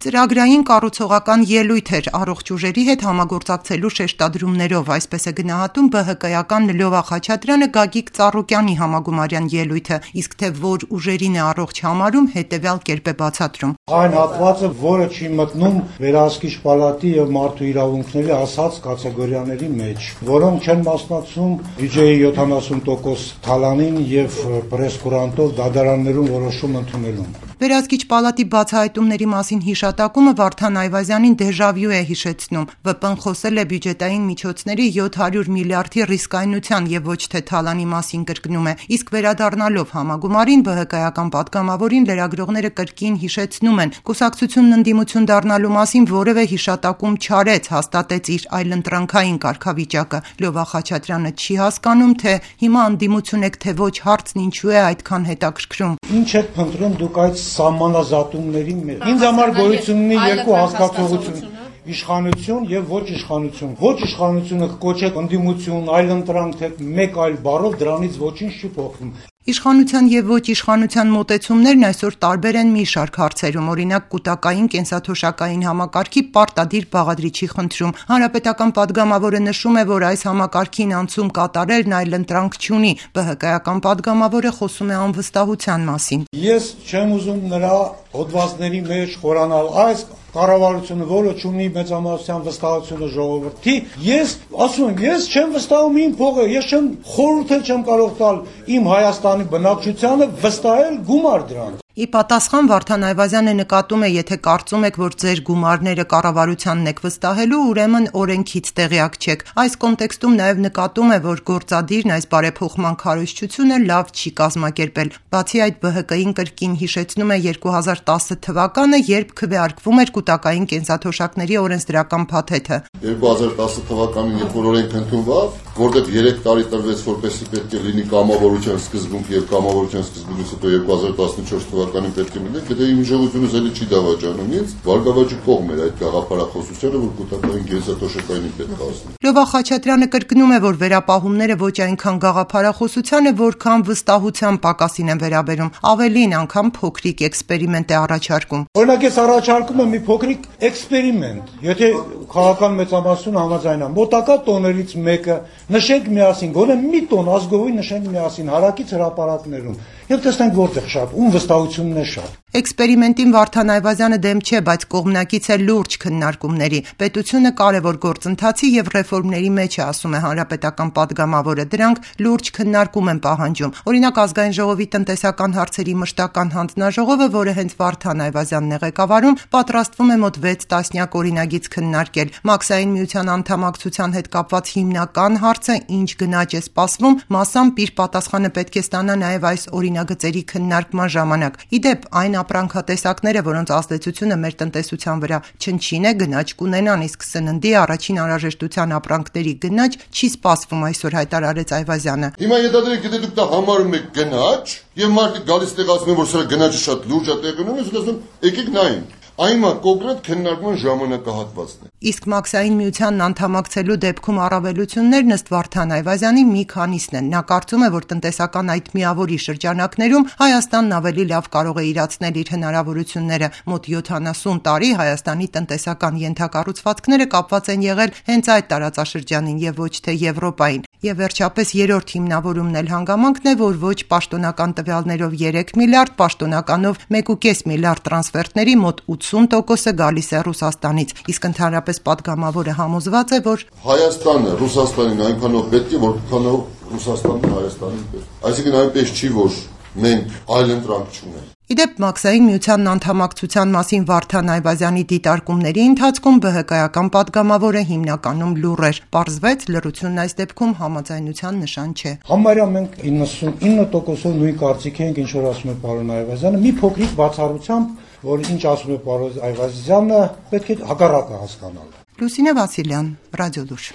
Ծրագրային կառուցողական ելույթ էր առողջ ուժերի հետ համագործակցելու շեշտադրումներով, այսպես է գնահատում ԲՀԿ-ական Լյովա Խաչատրյանը Գագիկ Ծառուկյանի համագումարյան ելույթը, իսկ թե որ ուժերին է առողջ համարում, հետևյալ կերպ է բացատրում. Այն հատվածը, որը չի մտնում վերահսկիչ պալատի եւ մարդու իրավունքների ասած կատեգորիաների մեջ, որոնք չեն մասնակցում բյուջեի 70% թալանին եւ պրեսկուրանտով դատարաններում որոշում ընդունելուն։ Վերահսկիչ պալատի բացահայտումների մասին հիշատակումը Վարդան Այվազյանին դեժավյու է հիշեցնում։ ՎՊ-ն խոսել է բյուջետային միջոցների 700 միլիարդի ռիսկայնության եւ ոչ թե թալանի մասին կրկնում է։ Իսկ վերադառնալով համագումարին ԲՀԿ-ական պատգամավորին լրագրողները կրկին հիշեցնում են, կուսակցությունն ընդդիմություն դառնալու մասին որևէ հիշատակում չարեց, հաստատեց իր այլընտրանքային կարգավիճակը։ Լյովա Խաչատրյանը չի հասկանում, թե հիմա ընդդիմություն եք, թե ոչ, հարցն ինչու է այդքան հետաքրքրում։ Ինչ եք փնտրում դուք այդ սահմանազատումների մեջ։ Ինձ համար գոյություն ունի երկու հասկացողություն. իշխանություն եւ ոչ իշխանություն։ Ոչ իշխանությունը կոչեք ընդդիմություն, այլընտրանք, թե մեկ այլ բառով դրանից ոչինչ չի փոխվում։ Իշխանության եւ ոչ իշխանության մոտեցումներն այսօր տարբեր են մի շարք հարցերում, օրինակ կൂട്ടակային կենսաթոշակային համակարգի պարտադիր բաղադրիչի խնդրում։ Հանրապետական պատգամավորը նշում է, որ այս համակարգին անցում կատարելն այլընտրանք չունի։ ԲՀԿ-ական պատգամավորը խոսում է անվստահության մասին։ Ես չեմ ուզում նրա հոդվածների մեջ խորանալ այս կառավարությունը, որը չունի մեծամասնության վստահությունը ժողովրդի, ես ասում եմ, ես չեմ վստահում իմ փողը, ես չեմ խորհուրդ չեմ կարող տալ իմ Հայաստանի բնակչությանը վստահել գումար դրան։ Ի պատասխան Վարդան Այվազյանը նկատում է, եթե կարծում եք, որ ձեր գումարները կառավարությանն եք վստահելու, ուրեմն օրենքից տեղյակ չեք։ Այս կոնտեքստում նաև նկատում է, որ գործադիրն այս բարեփոխման քարոզչությունը լավ չի կազմակերպել։ Բացի այդ, ԲՀԿ-ին կրկին հիշեցնում է 2010 թվականը, երբ քվեարկվում էր կൂട്ടակային կենսաթոշակների օրենսդրական փաթեթը։ 2010 թվականին, երբ որ օրենք ընդունվավ, որտեղ 3 տարի տրվեց, որպեսզի պետք է լինի կամավորության սկզբունք եւ կամավորության սկզբունքից հետո 2014 թվականին պետք է լինի, եթե իմ ժողովուրդը զելի չի դավաճանում ինձ, վարկավաճի կողմ էր այդ գաղափարախոսությունը, որ կൂട്ടակային կենսաթոշակային պետք է ասնի։ Լյովա Խաչատրյանը կրկնում է, որ վերապահումները ոչ այնքան գաղափարախոսության է, որքան վստահության պակասին են վերաբերում, ավելին անգամ փոքրիկ էքսպերիմենտ է առաջարկում։ Օրինակ ես առաջարկում եմ մի փոքրիկ էքսպերիմենտ, եթե քաղաքական մեծամասնությունը համաձայնա, մոտակա տոներից մեկը նշենք միասին, գոնե մի տոն ազգովին նշենք միասին հարակից հրապարակներում եւ տեսնենք որտեղ շատ, ում վստահությունն է շատ։ Էքսպերիմենտին Վարդան Այվազյանը դեմ չէ, բայց կողմնակից է լուրջ քննարկումների։ Պետությունը կարևոր գործընթացի եւ ռեֆորմների մեջ է, ասում է հանրապետական պատգամավորը։ Դրանք լուրջ քննարկում են պահանջում։ Օրինակ Ազգային ժողովի տնտեսական հարցերի մշտական հանձնաժողովը, որը հենց Վարդան Այվազյանն է ղեկավարում, պատրաստվում է մոտ 6 տասնյակ օրինագիծ քննարկել։ Մաքսային միության անդամակցության հետ կապված հիմնական հարցը ինչ գնաճ է սպասվում, մասամբ իր պատասխանը պետք է ստանա նաեւ այս օրինագծերի քննարկման ժամանակ։ Իդեպ այն ապրանքատեսակները, որոնց ազդեցությունը մեր տնտեսության վրա չնչին է, գնաճ կունենան, իսկ սննդի առաջին անհրաժեշտության ապրանքների գնաճ չի սպասվում, այսօր հայտարարեց Այվազյանը։ Հիմա յետադրեք, եթե դուք դա համարում եք գնաճ, եւ մարդիկ գալիս տեղ ասում են, որ սրա գնաճը շատ լուրջ է տեղի ունենում, ես ասում եկեք նայենք։ Այնմա կոնկրետ քննարկման ժամանակահատվածն է։ Իսկ Մաքսային միությանն անդամակցելու դեպքում առավելություններն ըստ Վարդան Այվազյանի մի քանիսն են։ Նա կարծում է, որ տնտեսական այդ միավորի շրջանակներում Հայաստանն ավելի լավ կարող է իրացնել իր հնարավորությունները։ Մոտ 70 տարի Հայաստանի տնտեսական ենթակառուցվածքները կապված են եղել հենց այդ տարածաշրջանին եւ ոչ թե Եվրոպային։ Եվ վերջապես երրորդ հիմնավորումն էլ հանգամանքն է, որ ոչ պաշտոնական տվյալներով 3 միլիարդ, պաշտոնականով 1.5 միլիարդ տրանսֆերտների մոտ 80%-ը գալիս է Ռուսաստանից, իսկ ընդհանրապես պատգամավորը համոզված է, որ Հայաստանը Ռուսաստանին այնքանով պետք է, որքանով Ռուսաստանը Հայաստանին պետք։ Այսինքն այնպես չի, որ մենք այլընտրանք չունենք։ Իդեպ Մաքսային միությանն անդամակցության մասին Վարդան Այվազյանի դիտարկումների ընթացքում ԲՀԿ-ական պատգամավորը հիմնականում լուռ էր։ Պարզվեց, լռությունն այս դեպքում համաձայնության նշան չէ։ Համարյա մենք 99%-ով նույն կարծիքի ենք, ինչ որ ասում է պարոն Այվազյանը, մի փոքրիկ բացառությամբ, որ ինչ ասում է պարոն Այվազյանը, պետք է հակառակը հասկանալ։ Լուսինե Վասիլյան, Ռադիոլուր։